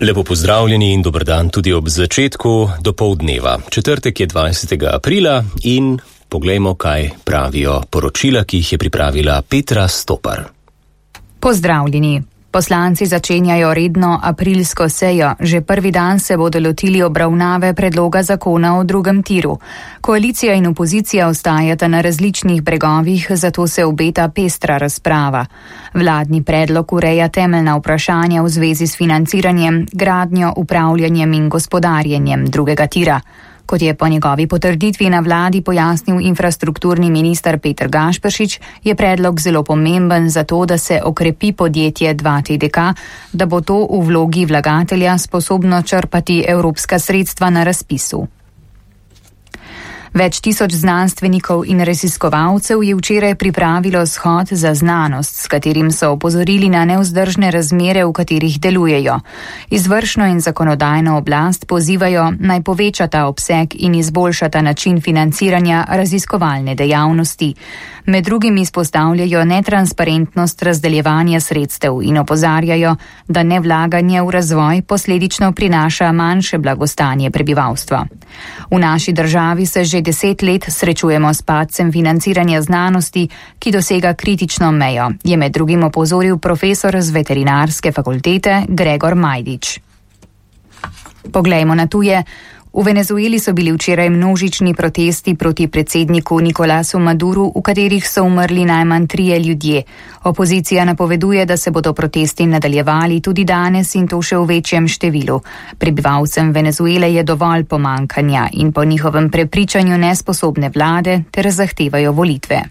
Lepo pozdravljeni in dober dan tudi ob začetku dopoldneva. Četrtek je 20. aprila in poglejmo, kaj pravijo poročila, ki jih je pripravila Petra Stopar. Pozdravljeni. Poslanci začenjajo redno aprilsko sejo. Že prvi dan se bodo lotili obravnave predloga zakona o drugem tiru. Koalicija in opozicija ostajata na različnih bregovih, zato se obeta pestra razprava. Vladni predlog ureja temeljna vprašanja v zvezi s financiranjem, gradnjo, upravljanjem in gospodarjenjem drugega tira. Kot je po njegovi potrditvi na vladi pojasnil infrastrukturni minister Peter Gašperšič, je predlog zelo pomemben za to, da se okrepi podjetje 2TDK, da bo to v vlogi vlagatelja sposobno črpati evropska sredstva na razpisu. Več tisoč znanstvenikov in raziskovalcev je včeraj pripravilo shod za znanost, s katerim so opozorili na nevzdržne razmere, v katerih delujejo. Izvršno in zakonodajno oblast pozivajo, naj povečata obseg in izboljšata način financiranja raziskovalne dejavnosti. Med drugim izpostavljajo netransparentnost razdeljevanja sredstev in opozarjajo, da nevlaganje v razvoj posledično prinaša manjše blagostanje prebivalstva. V naši državi se že 10 let srečujemo s padcem financiranja znanosti, ki dosega kritično mejo, je med drugim opozoril profesor z veterinarske fakultete Gregor Majdič. Poglejmo na tuje. V Venezueli so bili včeraj množični protesti proti predsedniku Nikolasu Maduru, v katerih so umrli najmanj 3 ljudje. Opozicija napoveduje, da se bodo protesti nadaljevali tudi danes in to še v večjem številu. Prebivalcem Venezuele je dovolj pomankanja in po njihovem prepričanju nesposobne vlade ter zahtevajo volitve.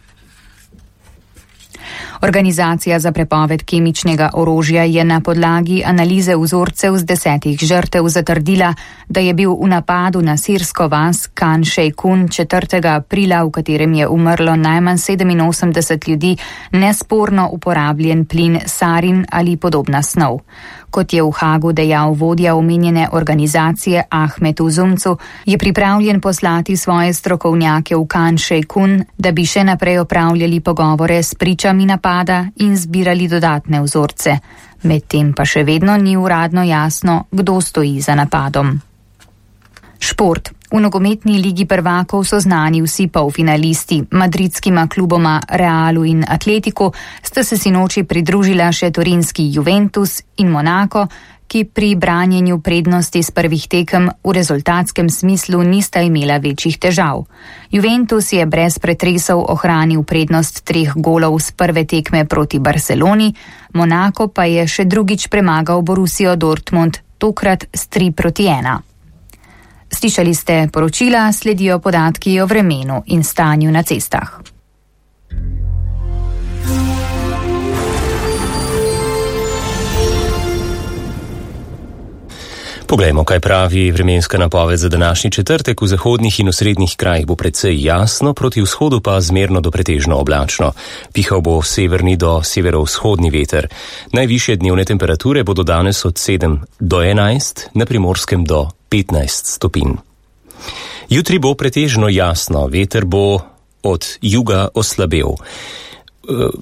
Organizacija za prepoved kemičnega orožja je na podlagi analize vzorcev z 10 žrtev zatrdila, da je bil v napadu na sirsko vas Khan Sheikhoun 4. aprila, v katerem je umrlo najmanj 87 ljudi, nesporno uporabljen plin sarin ali podobna snov. Kot je v Hagu dejal vodja omenjene organizacije Ahmed Uzumcu, je pripravljen poslati svoje strokovnjake v Khan Sheikhoun, da bi še naprej opravljali pogovore s pričami napada in zbirali dodatne vzorce. Medtem pa še vedno ni uradno jasno, kdo stoji za napadom. Šport. V nogometni ligi prvakov so znani vsi polfinalisti. Madridskima kluboma Realu in Atletiku sta se sinoči pridružila še torinski Juventus in Monako, ki pri branjenju prednosti z prvih tekem v rezultatskem smislu nista imela večjih težav. Juventus je brez pretresov ohranil prednost 3 golov z prve tekme proti Barceloni, Monako pa je še drugič premagal Borussijo Dortmund, tokrat s 3-1. Slišali ste poročila, sledijo podatki o vremenu in stanju na cestah. Poglejmo, kaj pravi vremenska napoved za današnji četrtek. V zahodnih in osrednjih krajih bo precej jasno, proti vzhodu pa zmerno do pretežno oblačno. Pihal bo severni do severovzhodni veter. Najvišje dnevne temperature bodo danes od 7 do 11, na Primorskem do 15 stopinj. Jutri bo pretežno jasno, veter bo od juga oslabel.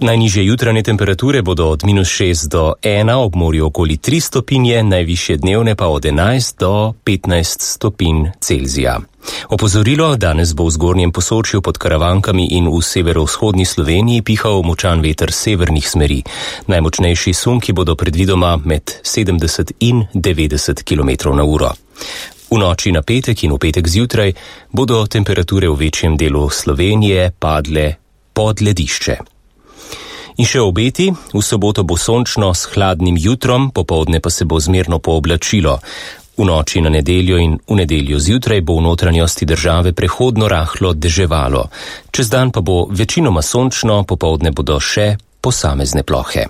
Najnižje jutranje temperature bodo od -6 do 1, ob morju okoli 3 stopinje, najvišje dnevne pa od 11 do 15 stopinj Celzija. Opozorilo, danes bo v zgornjem Posočju pod Karavankami in v severovzhodni Sloveniji pihal močan veter severnih smeri. Najmočnejši sunki bodo predvidoma med 70 in 90 km/h. V noči na petek in v petek zjutraj bodo temperature v večjem delu Slovenije padle pod ledišče. In še obeti, v soboto bo sončno s hladnim jutrom, popoldne pa se bo zmerno pooblačilo. V noči na nedeljo in v nedeljo zjutraj bo v notranjosti države prehodno rahlo deževalo. Čez dan pa bo večinoma sončno, popoldne bodo še posamezne plohe.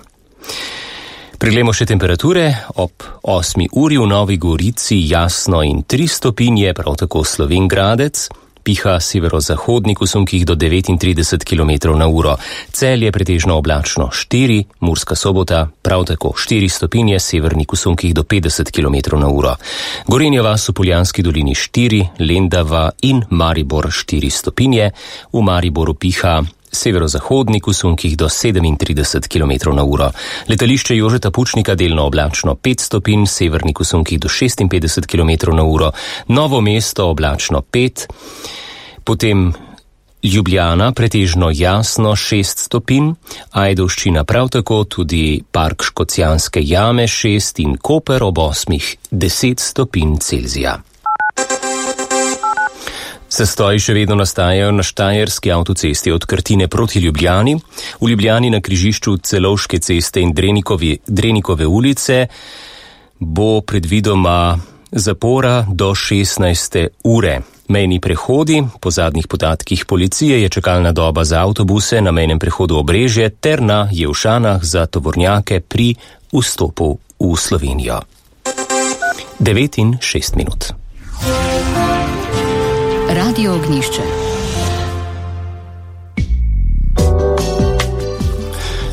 Preglejmo še temperature. Ob 8 uri v Novi Gorici jasno in 3 stopinje, prav tako Slovenj Gradec. Piha severozahodnik v sunkih do 39 km/h. Celje pretežno oblačno 4, Murska Sobota prav tako 4 stopinje, severnik v sunkih do 50 km/h. Gorenja vas v Poljanski dolini 4, Lendava in Maribor 4 stopinje. V Mariboru piha severozahodnik v sunkih do 37 km/h. Letališče Jožeta Pučnika delno oblačno 5 stopinj, severnik v sunkih do 56 km/h. Novo mesto oblačno 5, potem Ljubljana pretežno jasno 6 stopinj, Ajdovščina prav tako, tudi Park Škocjanske jame 6 in Koper ob 8 10 stopinj Celzija. Zastoji še vedno nastajajo na štajerski avtocesti od Krtine proti Ljubljani, v Ljubljani na križišču Celovške ceste in Drenikove ulice bo predvidoma zapora do 16. ure. Mejni prehodi, po zadnjih podatkih policije je čakalna doba za avtobuse na mejnem prehodu Obrežje ter na Jevšanah za tovornjake pri vstopu v Slovenijo. 9:06. Radio Ognjišče.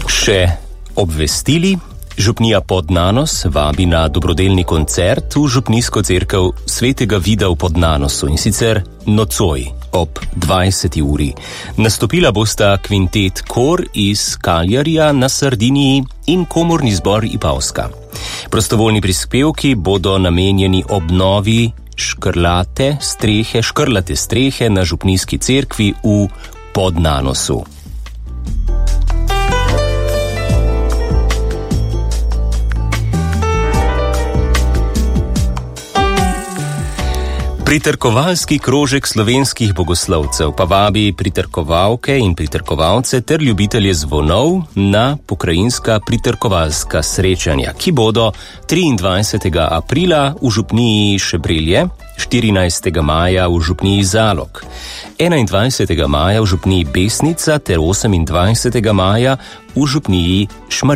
Še obvestili. Župnija Podnanos vabi na dobrodelni koncert v župnijsko cerkev Svetega Vida v Podnanosu, in sicer nocoj ob 20. uri. Nastopila bosta kvintet Kor iz Kaljarija na Sardiniji in komorni zbor Ipavska. Prostovoljni prispevki bodo namenjeni obnovi škrlate strehe na župnijski cerkvi v Podnanosu. Pritrkovalski krožek slovenskih bogoslovcev pa vabi pritrkovalke in pritrkovalce ter ljubitelje zvonov na pokrajinska pritrkovalska srečanja, ki bodo 23. aprila v župniji Šebrelje, 14. maja v župniji Zalog, 21. maja v župniji Besnica ter 28. maja v župniji Šmarje.